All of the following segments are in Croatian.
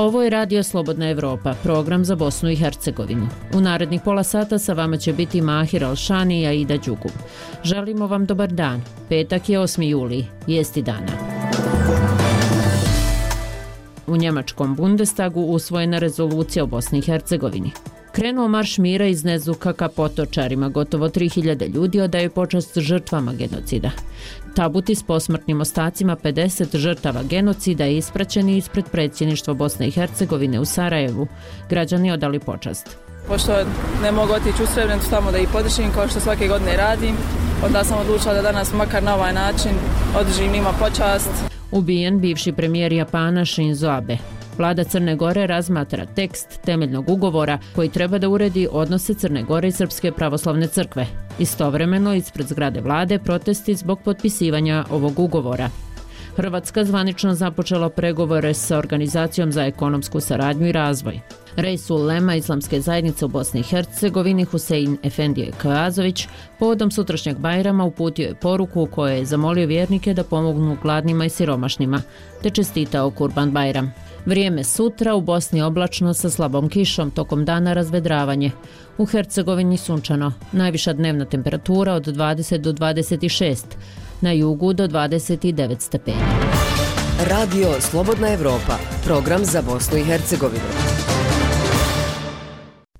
Ovo je Radio Slobodna Evropa, program za Bosnu i Hercegovinu. U narednih pola sata sa vama će biti Mahir Alšani i Aida Đugum. Želimo vam dobar dan. Petak je 8. juli, vijesti dana. U njemačkom Bundestagu usvojena rezolucija o Bosni i Hercegovini. Krenuo marš mira iz Nezuka ka Potočarima, gotovo 3000 ljudi odaju počast žrtvama genocida. Tabuti s posmrtnim ostacima 50 žrtava genocida je ispraćeni ispred predsjedništva Bosne i Hercegovine u Sarajevu. Građani odali počast. Pošto ne mogu otići u Srebrenicu tamo da ih podržim kao što svake godine radim, onda sam odlučila da danas makar na ovaj način održim njima počast. Ubijen bivši premijer Japana Shinzo Abe. Vlada Crne Gore razmatra tekst temeljnog ugovora koji treba da uredi odnose Crne Gore i Srpske pravoslavne crkve. Istovremeno, ispred zgrade vlade protesti zbog potpisivanja ovog ugovora. Hrvatska zvanično započela pregovore sa Organizacijom za ekonomsku saradnju i razvoj. Reisul Ulema Islamske zajednice u Bosni i Hercegovini Husein Efendije Kajazović povodom sutrašnjeg Bajrama uputio je poruku u kojoj je zamolio vjernike da pomognu gladnima i siromašnima, te čestitao Kurban Bajram. Vrijeme sutra u Bosni oblačno sa slabom kišom, tokom dana razvedravanje. U Hercegovini sunčano, najviša dnevna temperatura od 20 do 26, na jugu do 29 stepeni. Radio Slobodna Evropa, program za Bosnu i Hercegovinu.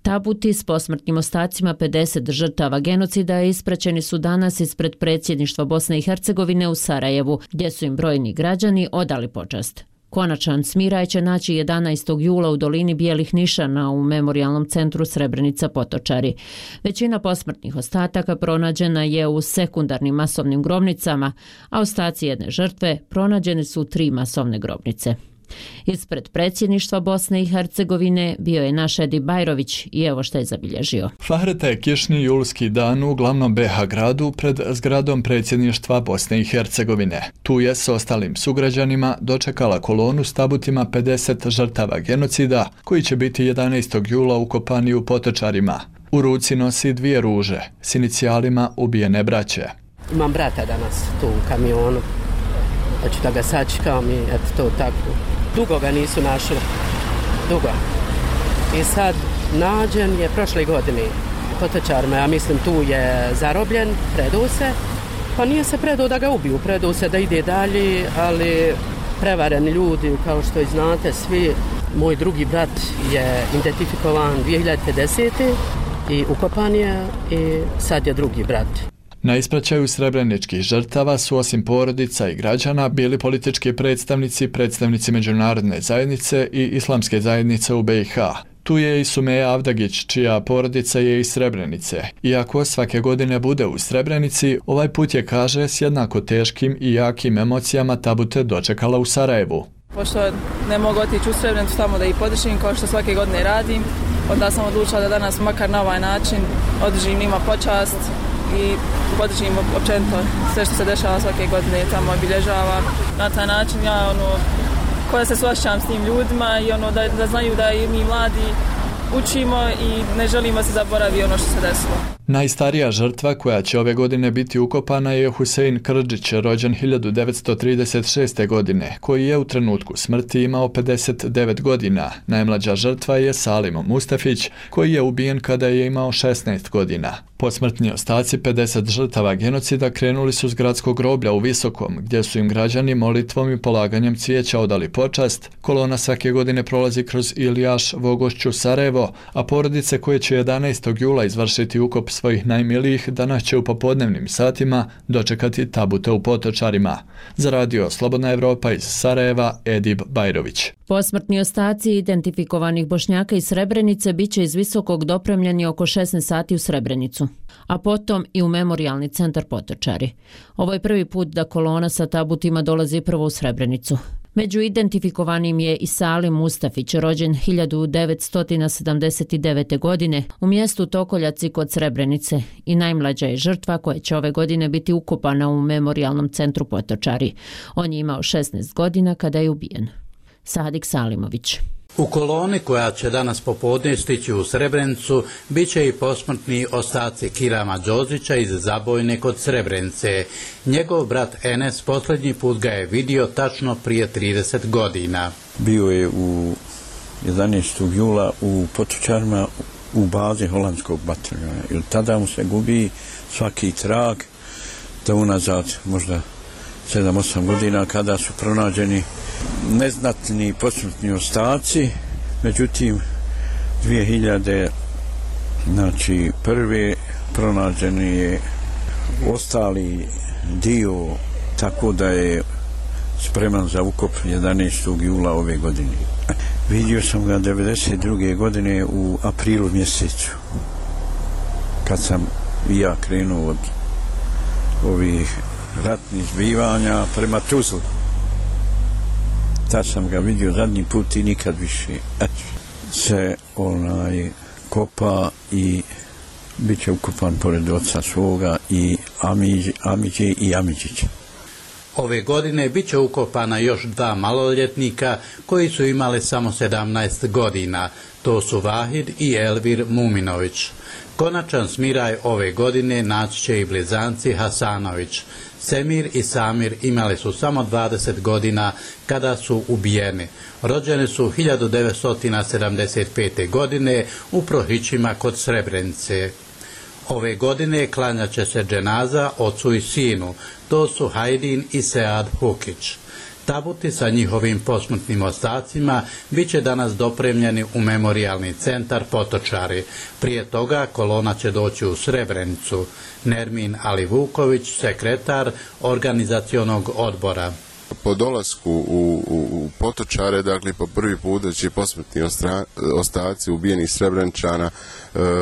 Tabuti s posmrtnim ostacima 50 žrtava genocida ispraćeni su danas ispred predsjedništva Bosne i Hercegovine u Sarajevu, gdje su im brojni građani odali počast. Konačan smiraj će naći 11. jula u dolini Bijelih nišana u memorijalnom centru Srebrenica Potočari. Većina posmrtnih ostataka pronađena je u sekundarnim masovnim grobnicama, a ostaci jedne žrtve pronađene su u 3 masovne grobnice. Ispred predsjedništva Bosne i Hercegovine bio je naš Edi Bajrović i evo što je zabilježio. Fahreta je kišni julski dan u glavnom BiH gradu pred zgradom predsjedništva Bosne i Hercegovine. Tu je s ostalim sugrađanima dočekala kolonu s tabutima 50 žrtava genocida koji će biti 11. jula ukopani u Potočarima. U ruci nosi 2 ruže s inicijalima ubijene braće. Imam brata danas tu u kamionu. Hoću da ga sačekam i eto to tako. Dugo ga nisu našli. Dugo. I sad nađen je prošle godine u Potočarima. Ja mislim tu je zarobljen, predao se. Pa nije se predao da ga ubiju, predao se da ide dalje, ali prevareni ljudi, kao što i znate svi. Moj drugi brat je identifikovan 2050. i ukopan je i sad je drugi brat. Na ispraćaju srebreničkih žrtava su osim porodica i građana bili politički predstavnici međunarodne zajednice i islamske zajednice u BiH. Tu je i Sumeja Avdagić, čija porodica je iz Srebrenice. Iako svake godine bude u Srebrenici, ovaj put je, kaže, s jednako teškim i jakim emocijama tabute dočekala u Sarajevu. Pošto ne mogu otići u Srebrenicu tamo da ih podržim kao što svake godine radim, onda sam odlučila da danas makar na ovaj način održim njima počast i podržim općenito sve što se dešava svake godine tamo obilježava. Na taj način ja koja se suosjećam s tim ljudima i da znaju da i mi mladi učimo i ne želimo se zaboravi ono što se desilo. Najstarija žrtva koja će ove godine biti ukopana je Husein Krdžić, rođen 1936. godine, koji je u trenutku smrti imao 59 godina. Najmlađa žrtva je Salim Mustafić, koji je ubijen kada je imao 16 godina. Posmrtni ostaci 50 žrtava genocida krenuli su s gradskog groblja u Visokom, gdje su im građani molitvom i polaganjem cvijeća odali počast. Kolona svake godine prolazi kroz Ilijaš, Vogošću, Sarajevo, a porodice koje će 11. jula izvršiti ukop svojih najmilijih danas će u popodnevnim satima dočekati tabute u Potočarima. Za Radio Slobodna Evropa iz Sarajeva, Edib Bajrović. Posmrtni ostaci identifikovanih Bošnjaka iz Srebrenice biće iz Visokog dopremljeni oko 16 sati u Srebrenicu, a potom i u memorijalni centar Potočari. Ovo je prvi put da kolona sa tabutima dolazi prvo u Srebrenicu. Među identifikovanim je i Salim Mustafić, rođen 1979. godine u mjestu Tokoljaci kod Srebrenice i najmlađa je žrtva koja će ove godine biti ukopana u memorijalnom centru Potočari. On je imao 16 godina kada je ubijen. Sadik Salimović. U koloni koja će danas popodne stići u Srebrenicu bit će i posmrtni ostaci Kirama Đozića iz Zabojne kod Srebrenice. Njegov brat Enes posljednji put ga je vidio tačno prije 30 godina. Bio je u 11. jula u Potočarima u bazi holandskog bataljona. I od tada mu se gubi svaki trag, da unazad možda 7-8 godina kada su pronađeni neznatni posmrtni ostaci, međutim 2000 prvi pronađeni je ostali dio, tako da je spreman za ukop 11. jula ove godine. Vidio sam ga 1992. godine u aprilu mjesecu, kad sam i ja krenuo od ovih ratnih zbivanja prema Tuzli. Tad sam ga vidio zadnji put i nikad više. Se kopa i bit će ukopan pored oca svoga i Amidže i Amidžića. Ove godine bit će ukopana još 2 maloljetnika koji su imali samo 17 godina. To su Vahid i Elvir Muminović. Konačan smiraj ove godine naći će i blizanci Hasanović. Semir i Samir imali su samo 20 godina kada su ubijeni. Rođeni su 1975. godine u Prohićima kod Srebrenice. Ove godine klanjat će se dženaza ocu i sinu, to su Hajdin i Sead Hukić. Tabuti sa njihovim posmrtnim ostacima bit će danas dopremljeni u memorijalni centar Potočari. Prije toga kolona će doći u Srebrenicu. Nermin Alivuković, sekretar organizacionog odbora. Po dolasku u Potočare, dakle po prvi put da će posmrtni ostaci ubijenih Srebreničana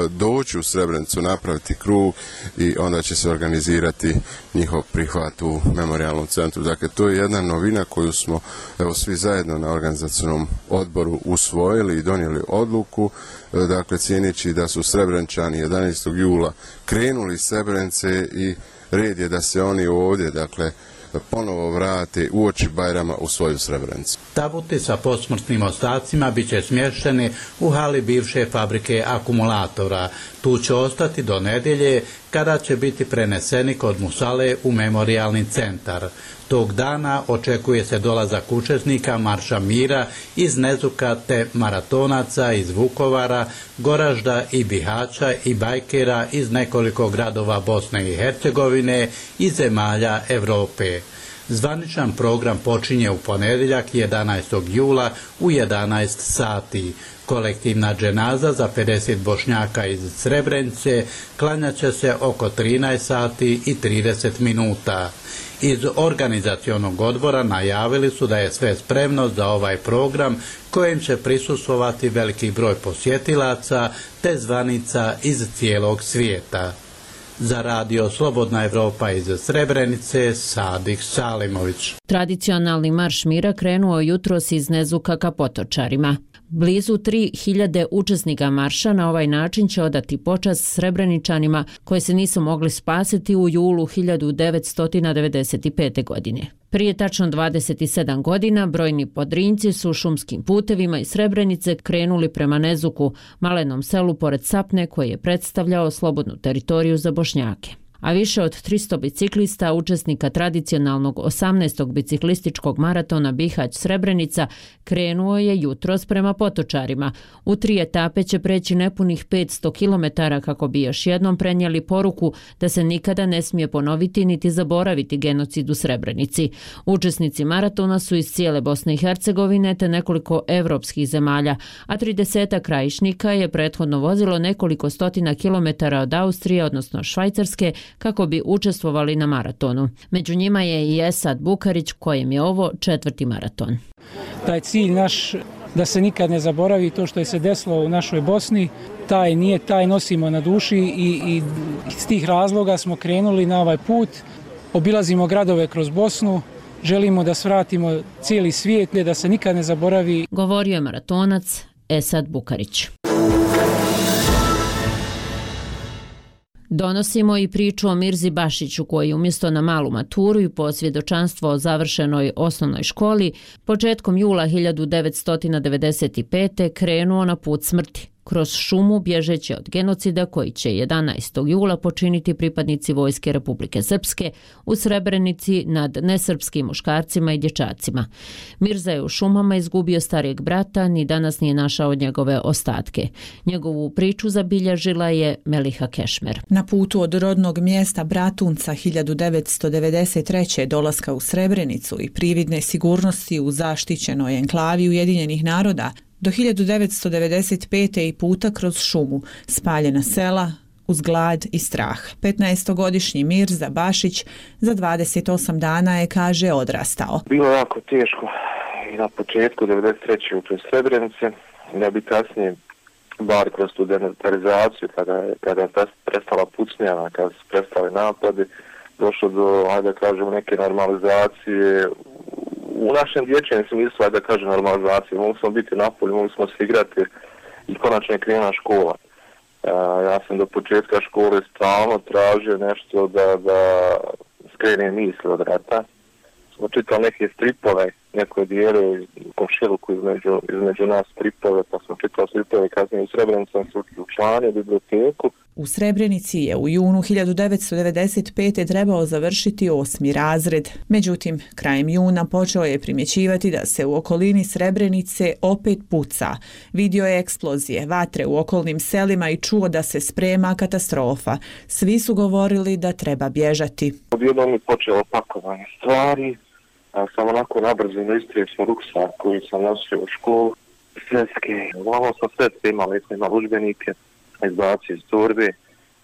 doći u Srebrenicu, napraviti krug i onda će se organizirati njihov prihvat u memorijalnom centru. Dakle, to je jedna novina koju smo svi zajedno na organizacionom odboru usvojili i donijeli odluku, dakle cijeneći da su Srebreničani 11. jula krenuli iz Srebrenice i red je da se oni ovdje, dakle, ponovo vrate uoči Bajrama u svoju Srebrenicu. Tabuti sa posmrtnim ostacima bit će smješteni u hali bivše fabrike akumulatora. Tu će ostati do nedjelje, kada će biti preneseni kod Musale u memorijalni centar. Tog dana očekuje se dolazak učesnika Marša mira iz Nezuka te maratonaca iz Vukovara, Goražda i Bihaća i bajkera iz nekoliko gradova Bosne i Hercegovine i zemalja Europe. Zvaničan program počinje u ponedjeljak 11. jula u 11 sati. Kolektivna dženaza za 50 Bošnjaka iz Srebrenice klanjat će se oko 13 sati i 30 minuta. Iz organizacionog odbora najavili su da je sve spremno za ovaj program kojem će prisustvovati veliki broj posjetilaca te zvanica iz cijelog svijeta. Za radio Slobodna Evropa iz Srebrenice, Sadik Salimović. Tradicionalni marš mira krenuo jutros iz Nezuka ka Potočarima. Blizu 3000 učesnika marša na ovaj način će odati počast Srebreničanima koji se nisu mogli spasiti u julu 1995. godine. Prije tačno 27 godina brojni Podrinjci su šumskim putevima iz Srebrenice krenuli prema Nezuku, malenom selu pored Sapne koji je predstavljao slobodnu teritoriju za Bošnjake. A više od 300 biciklista, učesnika tradicionalnog 18. biciklističkog maratona Bihać-Srebrenica, krenuo je jutros prema Potočarima. U 3 etape će preći nepunih 500 km kako bi još jednom prenijeli poruku da se nikada ne smije ponoviti niti zaboraviti genocid u Srebrenici. Učesnici maratona su iz cijele Bosne i Hercegovine te nekoliko evropskih zemalja, a 30 krajišnika je prethodno vozilo nekoliko stotina kilometara od Austrije, odnosno Švajcarske, kako bi učestvovali na maratonu. Među njima je i Esad Bukarić, kojem je ovo 4. maraton. Taj cilj naš da se nikad ne zaboravi to što je se desilo u našoj Bosni, taj nosimo na duši i iz tih razloga smo krenuli na ovaj put. Obilazimo gradove kroz Bosnu, želimo da svratimo cijeli svijet, da se nikad ne zaboravi. Govorio je maratonac Esad Bukarić. Donosimo i priču o Mirzi Bašiću koji umjesto na malu maturu i posvjedočanstvo o završenoj osnovnoj školi početkom jula 1995. krenuo na put smrti. kroz šumu bježeći od genocida koji će 11. jula počiniti pripadnici Vojske Republike Srpske u Srebrenici nad nesrpskim muškarcima i dječacima. Mirza je u šumama izgubio starijeg brata, ni danas nije našao njegove ostatke. Njegovu priču zabilježila je Meliha Kešmer. Na putu od rodnog mjesta Bratunca 1993. dolaska u Srebrenicu i prividne sigurnosti u zaštićenoj enklavi Ujedinjenih naroda do 1995. i puta kroz šumu, spaljena sela, uz glad i strah. 15-godišnji Mirza Bašić za 28 dana je, kaže, odrastao. Bilo je jako teško i na početku 93. u toj Srebrenici, da bi kasnije, bar kroz tu denatarizaciju, kada je prestala pucnjava, kada su prestali napadi, došlo do, ajde da kažem, neke normalizacije. U našem dječjem smislu, ajde da kažem, normalizacije. Mogli smo biti na polju, mogli smo se igrati i konačno je krenula škola. Ja sam do početka škole stalno tražio nešto da skrene misli od rata. Smo čitali neke stripove, neko dijelo u komšiluku između nas stripove, pa smo čitali stripove, kasnije u Srebrenici sam se učlanio u biblioteku. U Srebrenici je u junu 1995. trebao završiti 8. razred. Međutim, krajem juna počeo je primjećivati da se u okolini Srebrenice opet puca. Vidio je eksplozije, vatre u okolnim selima i čuo da se sprema katastrofa. Svi su govorili da treba bježati. Odjednom je počelo pakovanje stvari. Samo onako nabrzino istrijeli smo ruksak koji sam nosio u školu. Sveske, uglavnom sam sve imali udžbenike, izbacio iz torbe,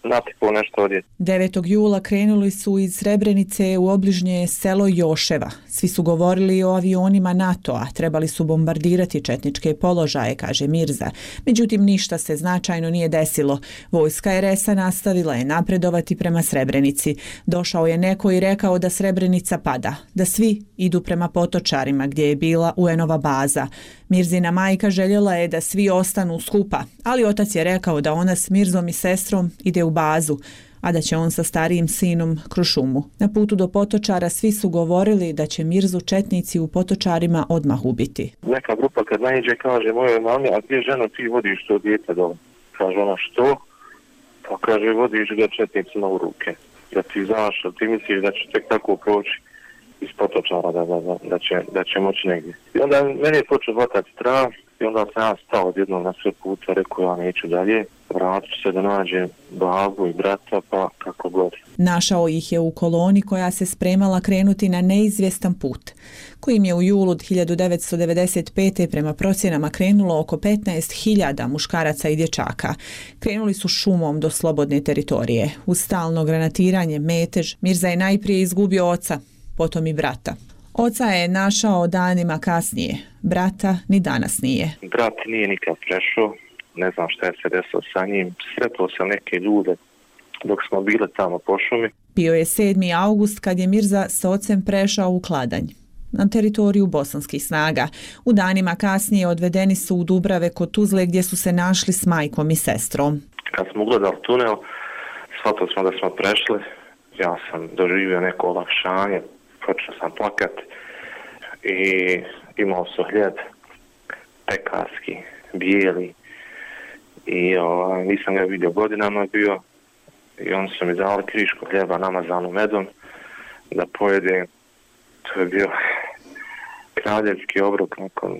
natipao nešto odjeti. 9. jula krenuli su iz Srebrenice u obližnje selo Joševa. Svi su govorili o avionima NATO-a, trebali su bombardirati četničke položaje, kaže Mirza. Međutim, ništa se značajno nije desilo. Vojska RS-a nastavila je napredovati prema Srebrenici. Došao je neko i rekao da Srebrenica pada, da svi idu prema Potočarima gdje je bila UN-ova baza. Mirzina majka željela je da svi ostanu skupa, ali otac je rekao da ona s Mirzom i sestrom ide u bazu, a da će on sa starijim sinom kroz šumu. Na putu do Potočara svi su govorili da će Mirzu četnici u Potočarima odmah ubiti. Neka grupa kad naiđe kaže mojoj mami, a gdje ženo ti vodiš to dijete dole? Kaže ona što? Pa kaže vodiš ga četnicima u ruke. Da ti znaš, da ti misliš da će tek tako proći iz Potočara, da će moći negdje. I onda meni je počeo hvatati strah i onda sam ja stao odjednom na sve puta, rekao ja neću dalje, vratit ću se da nađem babu i brata, pa kako god. Našao ih je u koloni koja se spremala krenuti na neizvjestan put, kojim je u julu 1995. prema procjenama krenulo oko 15.000 muškaraca i dječaka. Krenuli su šumom do slobodne teritorije. Uz stalno granatiranje, metež, Mirza je najprije izgubio oca, potom i brata. Oca je našao danima kasnije, brata ni danas nije. Brat nije nikad prešao, ne znam šta je se desilo sa njim. Sretao sam neke ljude dok smo bili tamo po šumi. Bio je 7. august kad je Mirza s ocem prešao u Kladanj, na teritoriju bosanskih snaga. U danima kasnije odvedeni su u Dubrave kod Tuzle gdje su se našli s majkom i sestrom. Kad smo ugledali tunel, shvatili smo da smo prešli. Ja sam doživio neko olakšanje, počeo sam plakat i imao su hljeb pekarski, bijeli i nisam ga vidio godinama bio i oni su mi dali krišku hljeba namazanu medom da pojedem. To je bio kraljevski obrok nakon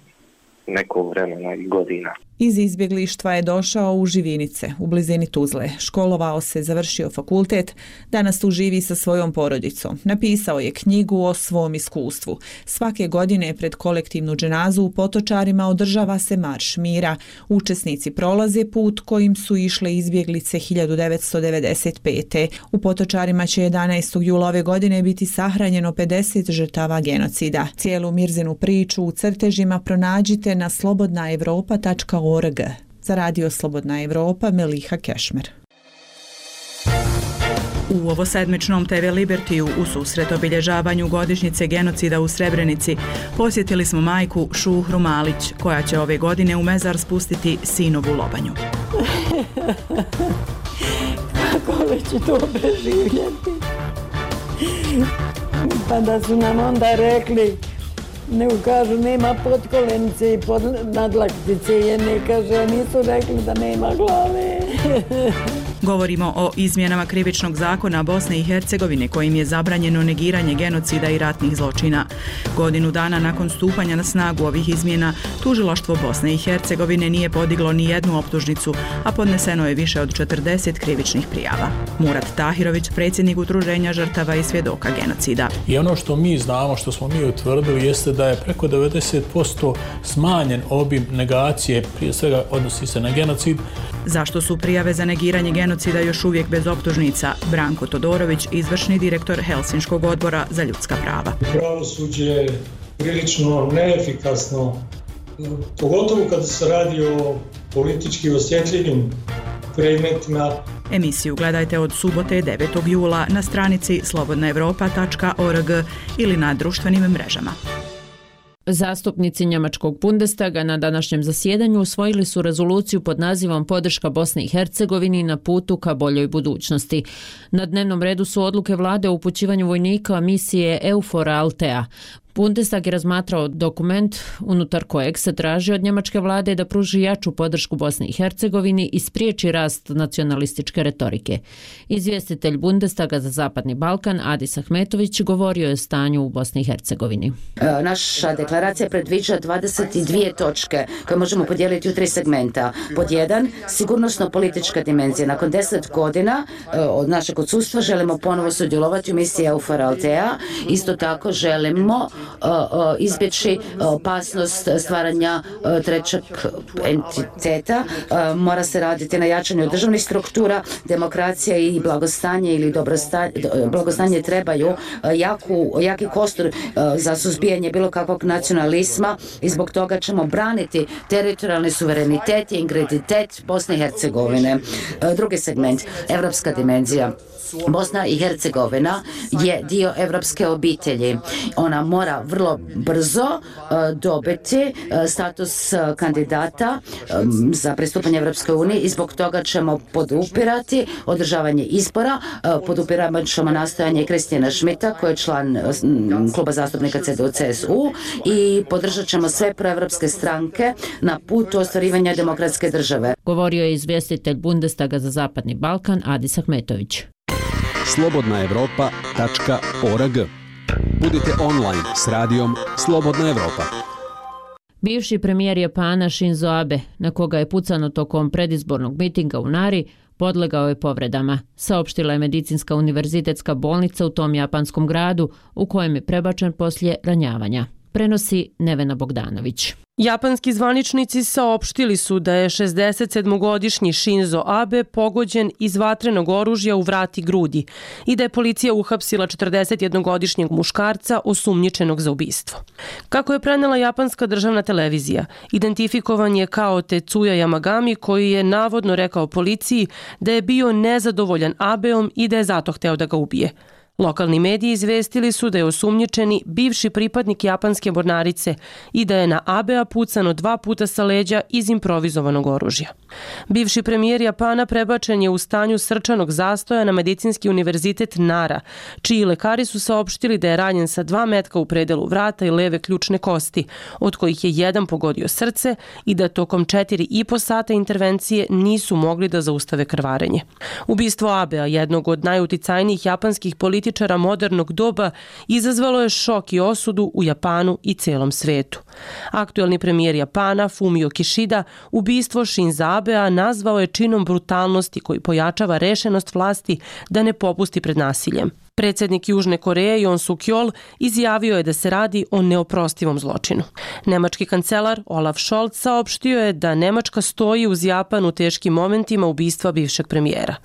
nekog vremena i godina. Iz izbjeglištva je došao u Živinice, u blizini Tuzle. Školovao se, završio fakultet, danas tu živi sa svojom porodicom. Napisao je knjigu o svom iskustvu. Svake godine pred kolektivnu dženazu u Potočarima održava se marš mira. Učesnici prolaze put kojim su išle izbjeglice 1995. U Potočarima će 11. jula ove godine biti sahranjeno 50 žrtava genocida. Cijelu Mirzinu priču u crtežima pronađite na slobodnaevropa.org. Za radio Slobodna Evropa, Meliha Kešmer. U ovosedmičnom TV Libertiju u susret obilježavanju godišnjice genocida u Srebrenici posjetili smo majku Šuhru Malić, koja će ove godine u mezar spustiti sinovu lobanju. Kako li će to preživjeti? Pa da su nam onda rekli nego kažu nema potkolenice i nadlaktice jedne, kaže, nisu rekli da nema glave. Govorimo o izmjenama krivičnog zakona Bosne i Hercegovine kojim je zabranjeno negiranje genocida i ratnih zločina. Godinu dana nakon stupanja na snagu ovih izmjena, tužilaštvo Bosne i Hercegovine nije podiglo ni jednu optužnicu, a podneseno je više od 40 krivičnih prijava. Murat Tahirović, predsjednik Udruženja žrtava i svjedoka genocida. I ono što mi znamo, što smo mi utvrdili, jeste da je preko 90% smanjen obim negacije, prije svega odnosi se na genocid. Zašto su prijave za negiranje genocida još uvijek bez optužnica? Branko Todorović, izvršni direktor Helsinškog odbora za ljudska prava. Pravosuđe je prilično neefikasno, pogotovo kada se radi o politički osjetljivim predmetima. Emisiju gledajte od subote 9. jula na stranici slobodnaevropa.org ili na društvenim mrežama. Zastupnici njemačkog Bundestaga na današnjem zasjedanju usvojili su rezoluciju pod nazivom Podrška Bosni i Hercegovini na putu ka boljoj budućnosti. Na dnevnom redu su odluke vlade o upućivanju vojnika misije EUFOR Althea. Bundestag je razmatrao dokument unutar kojeg se traži od njemačke vlade da pruži jaču podršku Bosni i Hercegovini i spriječi rast nacionalističke retorike. Izvjestitelj Bundestaga za Zapadni Balkan Adis Ahmetović govorio je o stanju u Bosni i Hercegovini. Naša deklaracija predviđa 22 točke koje možemo podijeliti u 3 segmenta. Pod 1, sigurnosno-politička dimenzija. Nakon 10 godina od našeg odsustva želimo ponovo sudjelovati u misiji EUFOR Althea. Isto tako želimo izbjeći opasnost stvaranja trećeg entiteta. Mora se raditi na jačanju državnih struktura, demokracija i blagostanje ili blagostanje trebaju jaki kostur za suzbijanje bilo kakvog nacionalizma i zbog toga ćemo braniti teritorijalni suverenitet i integritet Bosne i Hercegovine. Drugi segment, evropska dimenzija. Bosna i Hercegovina je dio evropske obitelji. Ona mora vrlo brzo dobiti status kandidata za pristupanje Evropskoj uniji i zbog toga ćemo podupirati održavanje izbora, podupirat ćemo nastojanje Kristijana Šmita koji je član kluba zastupnika CDU-CSU i podržat ćemo sve proevropske stranke na putu ostvarivanja demokratske države. Govorio je izvjestitelj Bundestaga za Zapadni Balkan Adis Ahmetović. slobodnaevropa.org. Budite online s radijom Slobodna Evropa. Bivši premijer Japana Shinzo Abe, na koga je pucano tokom predizbornog mitinga u Nari, podlegao je povredama, saopštila je medicinska univerzitetska bolnica u tom japanskom gradu u kojem je prebačen poslije ranjavanja. Prenosi Nevena Bogdanović. Japanski zvaničnici saopštili su da je 67-godišnji Shinzo Abe pogođen iz vatrenog oružja u vrat i grudi i da je policija uhapsila 41-godišnjeg muškarca osumnjičenog za ubistvo. Kako je prenela japanska državna televizija, identifikovan je kao Tetsuya Yamagami koji je navodno rekao policiji da je bio nezadovoljan Abeom i da je zato hteo da ga ubije. Lokalni mediji izvestili su da je osumnjičeni bivši pripadnik japanske mornarice i da je na Abea pucano 2 puta sa leđa iz improvizovanog oružja. Bivši premijer Japana prebačen je u stanju srčanog zastoja na medicinski univerzitet Nara, čiji lekari su saopštili da je ranjen sa 2 metka u predelu vrata i leve ključne kosti, od kojih je jedan pogodio srce i da tokom 4,5 sata intervencije nisu mogli da zaustave krvarenje. Ubistvo Abea, jednog od najuticajnijih japanskih političara modernog doba, izazvalo je šok i osudu u Japanu i celom svetu. Aktuelni premijer Japana Fumio Kishida ubistvo Shinza Abea nazvao je činom brutalnosti koji pojačava rešenost vlasti da ne popusti pred nasiljem. Predsjednik Južne Koreje Yoon Suk-yeol izjavio je da se radi o neoprostivom zločinu. Nemački kancelar Olaf Scholz saopštio je da Nemačka stoji uz Japan u teškim momentima ubistva bivšeg premijera.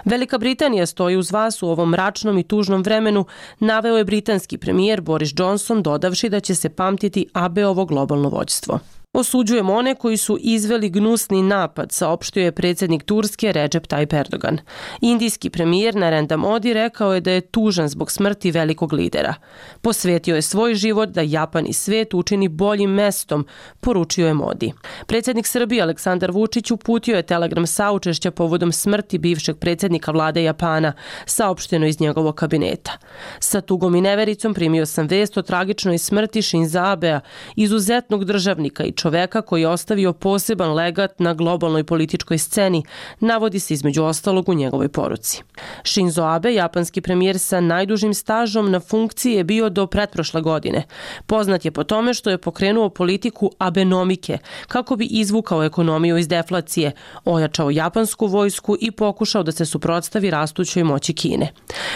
Velika Britanija stoji uz vas u ovom mračnom i tužnom vremenu, naveo je britanski premijer Boris Johnson, dodavši da će se pamtiti Abeovo globalno vođstvo. Osuđujemo one koji su izveli gnusni napad, saopštio je predsjednik Turske Recep Tayyip Erdogan. Indijski premijer Narendra Modi rekao je da je tužan zbog smrti velikog lidera. Posvetio je svoj život da Japan i svijet učini boljim mestom, poručio je Modi. Predsjednik Srbije Aleksandar Vučić uputio je telegram saučešća povodom smrti bivšeg predsjednika vlade Japana, saopšteno iz njegovog kabineta. Sa tugom i nevericom primio sam vest o tragičnoj smrti Shinza Abea, izuzetnog državnika i čoveka koji je ostavio poseban legat na globalnoj političkoj sceni, navodi se između ostalog u njegovoj poruci. Shinzo Abe, japanski premijer sa najdužim stažom na funkciji, je bio do pretprošle godine. Poznat je po tome što je pokrenuo politiku abenomike kako bi izvukao ekonomiju iz deflacije, ojačao japansku vojsku i pokušao da se suprotstavi rastućoj moći Kine.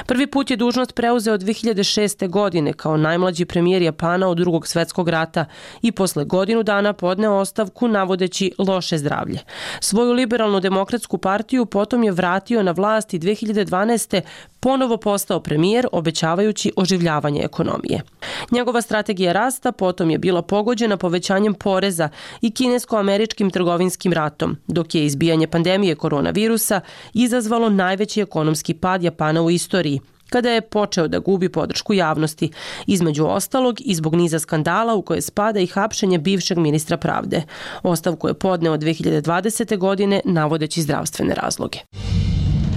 Prvi put je dužnost preuzeo 2006. godine kao najmlađi premijer Japana od Drugog svjetskog rata i posle godinu dana podneo ostavku navodeći loše zdravlje. Svoju liberalnu demokratsku partiju potom je vratio na vlast i 2012. ponovo postao premijer, obećavajući oživljavanje ekonomije. Njegova strategija rasta potom je bila pogođena povećanjem poreza i kinesko-američkim trgovinskim ratom, dok je izbijanje pandemije koronavirusa izazvalo najveći ekonomski pad Japana u istoriji, kada je počeo da gubi podršku javnosti, između ostalog i zbog niza skandala u koje spada i hapšenje bivšeg ministra pravde. Ostavku je podneo 2020. godine navodeći zdravstvene razloge.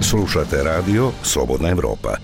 Slušate radio Slobodna Evropa.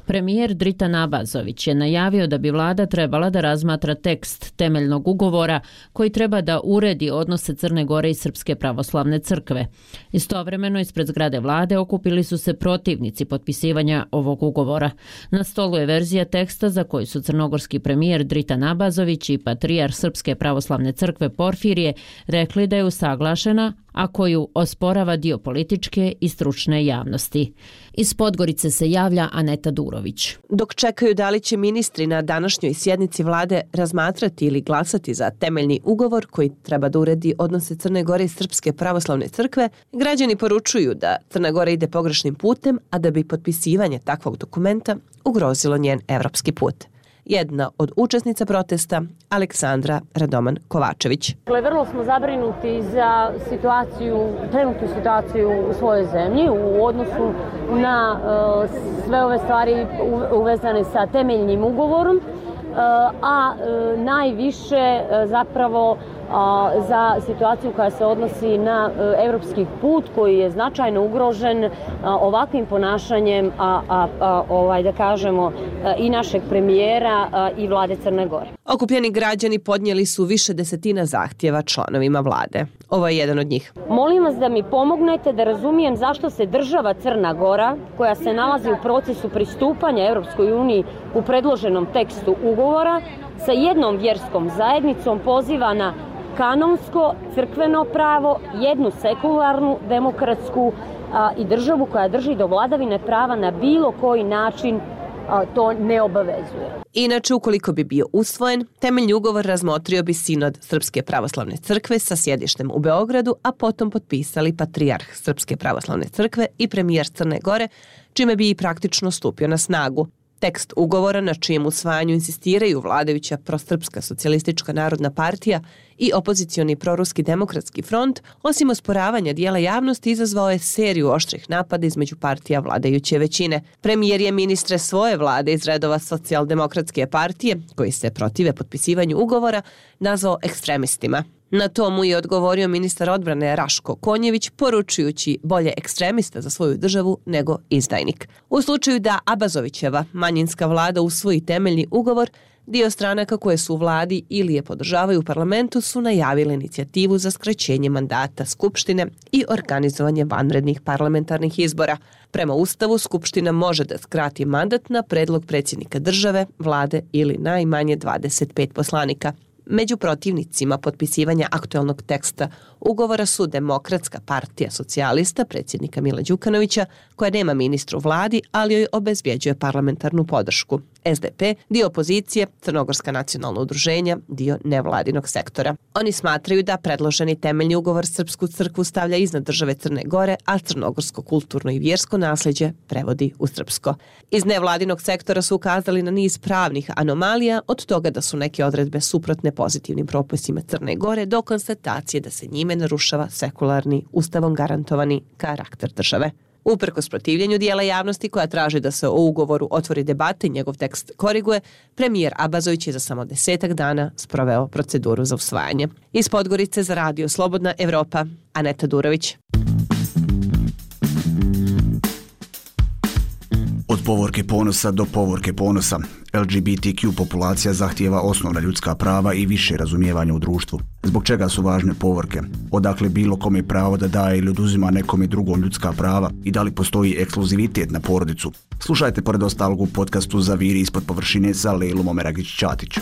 Premijer Dritan Abazović je najavio da bi vlada trebala da razmatra tekst temeljnog ugovora koji treba da uredi odnose Crne Gore i Srpske pravoslavne crkve. Istovremeno ispred zgrade vlade okupili su se protivnici potpisivanja ovog ugovora. Na stolu je verzija teksta za koju su crnogorski premijer Dritan Abazović i patrijarh Srpske pravoslavne crkve Porfirije rekli da je usaglašena, a koju osporava dio političke i stručne javnosti. Iz Podgorice se javlja Aneta Durović. Dok čekaju da li će ministri na današnjoj sjednici vlade razmatrati ili glasati za temeljni ugovor koji treba da uredi odnose Crne Gore i Srpske pravoslavne crkve, građani poručuju da Crna Gora ide pogrešnim putem, a da bi potpisivanje takvog dokumenta ugrozilo njen evropski put. Jedna od učesnica protesta, Aleksandra Radoman Kovačević. Vrlo smo zabrinuti za trenutnu situaciju u svojoj zemlji u odnosu na sve ove stvari uvezane sa temeljnim ugovorom, a najviše zapravo za situaciju koja se odnosi na evropski put koji je značajno ugrožen ovakvim ponašanjem da kažemo i našeg premijera i vlade Crne Gore. Okupljeni građani podnijeli su više desetina zahtjeva članovima vlade. Ovo je jedan od njih. Molim vas da mi pomognete da razumijem zašto se država Crna Gora, koja se nalazi u procesu pristupanja Europskoj uniji u predloženom tekstu ugovora, sa jednom vjerskom zajednicom poziva na kanonsko crkveno pravo, jednu sekularnu, demokratsku i državu koja drži do vladavine prava na bilo koji način to ne obavezuje. Inače, ukoliko bi bio usvojen, temeljni ugovor razmotrio bi Sinod Srpske pravoslavne crkve sa sjedištem u Beogradu, a potom potpisali patrijarh Srpske pravoslavne crkve i premijer Crne Gore, čime bi i praktično stupio na snagu. Tekst ugovora na čijem usvajanju insistiraju vladajuća prosrpska socijalistička narodna partija i opozicioni proruski demokratski front, osim osporavanja dijela javnosti, izazvao je seriju oštrih napada između partija vladajuće većine. Premijer je ministre svoje vlade iz redova socijaldemokratske partije, koji se protive potpisivanju ugovora, nazvao ekstremistima. Na to mu je odgovorio ministar odbrane Raško Konjević, poručujući bolje ekstremista za svoju državu nego izdajnik. U slučaju da Abazovićeva manjinska vlada usvoji temeljni ugovor, dio stranaka koje su u vladi ili je podržavaju u parlamentu su najavile inicijativu za skraćenje mandata Skupštine i organizovanje vanrednih parlamentarnih izbora. Prema Ustavu, Skupština može da skrati mandat na predlog predsjednika države, vlade ili najmanje 25 poslanika. Među protivnicima potpisivanja aktualnog teksta ugovora su Demokratska partija socijalista predsjednika Mila Đukanovića, koja nema ministru vladi, ali joj obezbjeđuje parlamentarnu podršku, SDP, dio opozicije, Crnogorska nacionalna udruženja, dio nevladinog sektora. Oni smatraju da predloženi temeljni ugovor Srpsku crkvu stavlja iznad države Crne Gore, a crnogorsko kulturno i vjersko nasljeđe prevodi u srpsko. Iz nevladinog sektora su ukazali na niz pravnih anomalija, od toga da su neke odredbe suprotne pozitivnim propisima Crne Gore do konstatacije da se njime narušava sekularni, ustavom garantovani karakter države. Uprkos protivljenju dijela javnosti koja traži da se o ugovoru otvori debata i njegov tekst koriguje, premijer Abazović je za samo 10 dana sproveo proceduru za usvajanje. Iz Podgorice za Radio Slobodna Evropa, Aneta Durović. Od povorke ponosa do povorke ponosa, LGBTQ populacija zahtijeva osnovna ljudska prava i više razumijevanja u društvu. Zbog čega su važne povorke? Odakle bilo kome pravo da daje ili oduzima nekome drugom ljudska prava i da li postoji ekskluzivitet na porodicu? Slušajte pored ostalog u podcastu Zaviri ispod površine sa Lejlom Omeragić-Ćatić.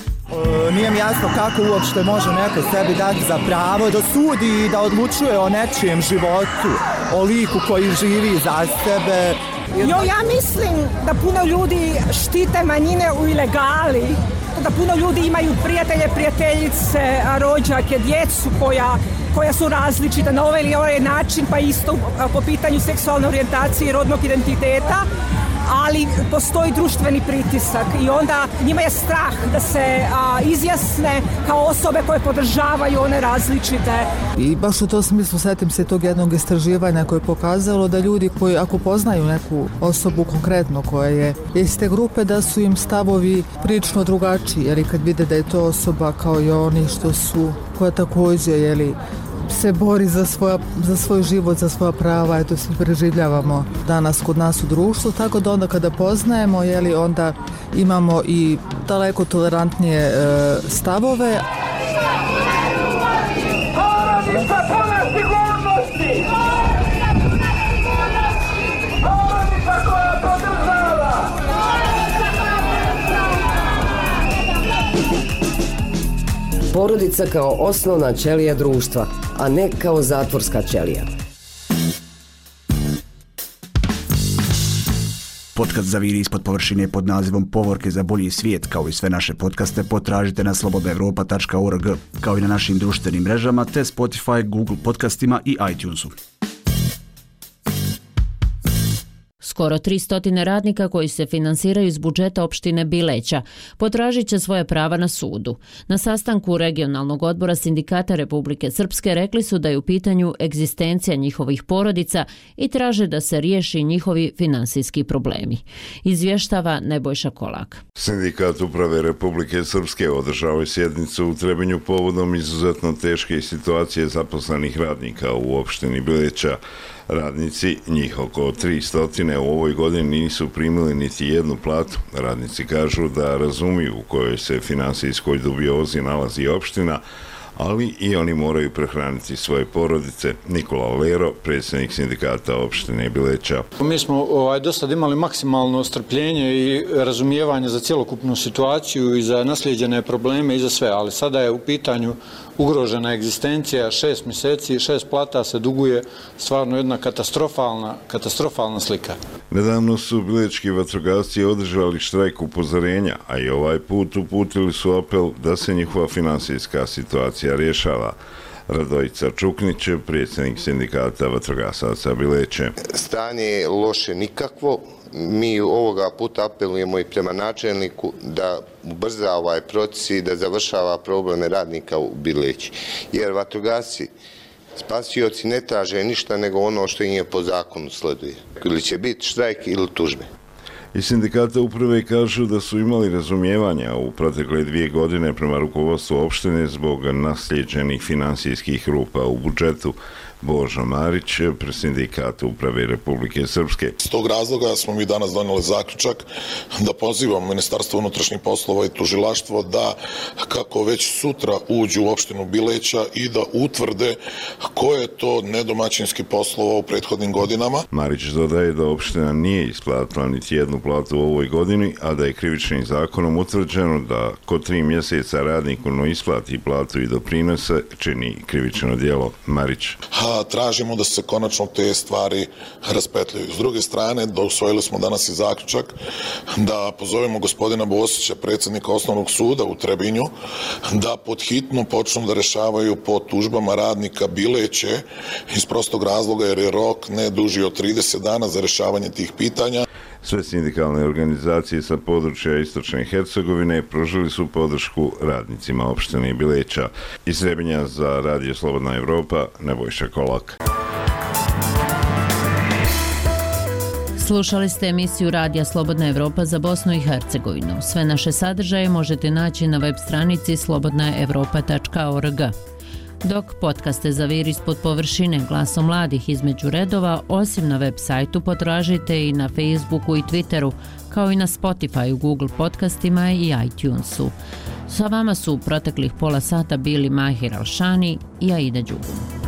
Nije mi jasno kako uopšte može neko sebi dati za pravo da sudi i da odlučuje o nečijem životu, o liku koji živi za sebe. Ja mislim da puno ljudi štite manjine u ilegali, da puno ljudi imaju prijatelje, prijateljice, rođake, djecu koja su različita na ovaj ili ovaj način, pa isto po pitanju seksualne orijentacije i rodnog identiteta, ali postoji društveni pritisak i onda njima je strah da se izjasne kao osobe koje podržavaju one različite. I baš u tom smislu sjetim se tog jednog istraživanja koje je pokazalo da ljudi koji ako poznaju neku osobu konkretno koja je iz te grupe, da su im stavovi prilično drugačiji, jer kad vide da je to osoba kao i oni što su, koja također se bori za svoj život, za svoja prava, eto svi preživljavamo danas kod nas u društvu, tako da onda kada poznajemo, onda imamo i daleko tolerantnije stavove. Porodica kao osnovna ćelija društva, a ne kao zatvorska ćelija. Podcast Zaviri ispod površine pod nazivom Povorke za bolji svijet, kao i sve naše podcaste, potražite na slobodnaevropa.org, kao i na našim društvenim mrežama, te Spotify, Google podcastima i iTunesu. Skoro 300 radnika koji se finansiraju iz budžeta opštine Bileća potražit će svoje prava na sudu. Na sastanku regionalnog odbora Sindikata Republike Srpske rekli su da je u pitanju egzistencija njihovih porodica i traže da se riješi njihovi finansijski problemi. Izvještava Nebojša Kolak. Sindikat Uprave Republike Srpske održao je sjednicu u Trebinju povodom izuzetno teške situacije zaposlenih radnika u opštini Bileća. Radnici, njih oko 300 u ovoj godini nisu primili niti jednu platu. Radnici kažu da razumiju u kojoj se finansijskoj dubiozi nalazi opština, ali i oni moraju prehraniti svoje porodice. Nikola Lero, predsjednik sindikata opštine Bileća. Mi smo do sad imali maksimalno strpljenje i razumijevanje za cjelokupnu situaciju i za naslijeđene probleme i za sve, ali sada je u pitanju ugrožena egzistencija, 6 mjeseci, 6 plata se duguje, stvarno jedna katastrofalna slika. Nedavno su bilečki vatrogasci održali štrajk upozorenja, a i ovaj put uputili su apel da se njihova finansijska situacija rješava. Radojica Čuknić, predsjednik sindikata vatrogasaca Bileće. Stanje je loše nikakvo. Mi ovoga puta apelujemo i prema načelniku da ubrza ovaj proces i da završava probleme radnika u Bileći. Jer vatrogasci, spasioci ne traže ništa nego ono što im je po zakonu sleduje. Ili će biti štrajk ili tužbe. Iz sindikata uprave kažu da su imali razumijevanja u protekle 2 godine prema rukovodstvu opštine zbog naslijeđenih finansijskih rupa u budžetu. Božo Marić, sindikat Uprave Republike Srpske. S tog razloga smo mi danas donijeli zaključak da pozivamo Ministarstvo unutrašnjih poslova i tužilaštvo da kako već sutra uđu u opštinu Bileća i da utvrde ko je to nedomaćinski poslova u prethodnim godinama. Marić dodaje da opština nije isplatila niti jednu platu u ovoj godini, a da je krivičnim zakonom utvrđeno da ko 3 mjeseca radniku ne isplati platu i doprinose čini krivično djelo. Marić. tražimo da se konačno te stvari raspetljaju. S druge strane, usvojili smo danas i zaključak da pozovemo gospodina Bosića, predsjednika Osnovnog suda u Trebinju, da podhitno počnu da rešavaju po tužbama radnika Bileće iz prostog razloga jer je rok ne duži od 30 dana za rešavanje tih pitanja. Sve sindikalne organizacije sa područja Istočne Hercegovine pružili su podršku radnicima opštine Bileća. Iz Trebinja za Radio Slobodna Evropa, Nebojša Kolak. Slušali ste emisiju Radija Slobodna Evropa za Bosnu i Hercegovinu. Sve naše sadržaje možete naći na web stranici slobodnaevropa.org. Dok podcaste Zavir ispod površine glasom mladih između redova, osim na web sajtu potražite i na Facebooku i Twitteru, kao i na Spotify, Google podcastima i iTunesu. Sa vama su u proteklih pola sata bili Mahir Alšani i Aida Đugum.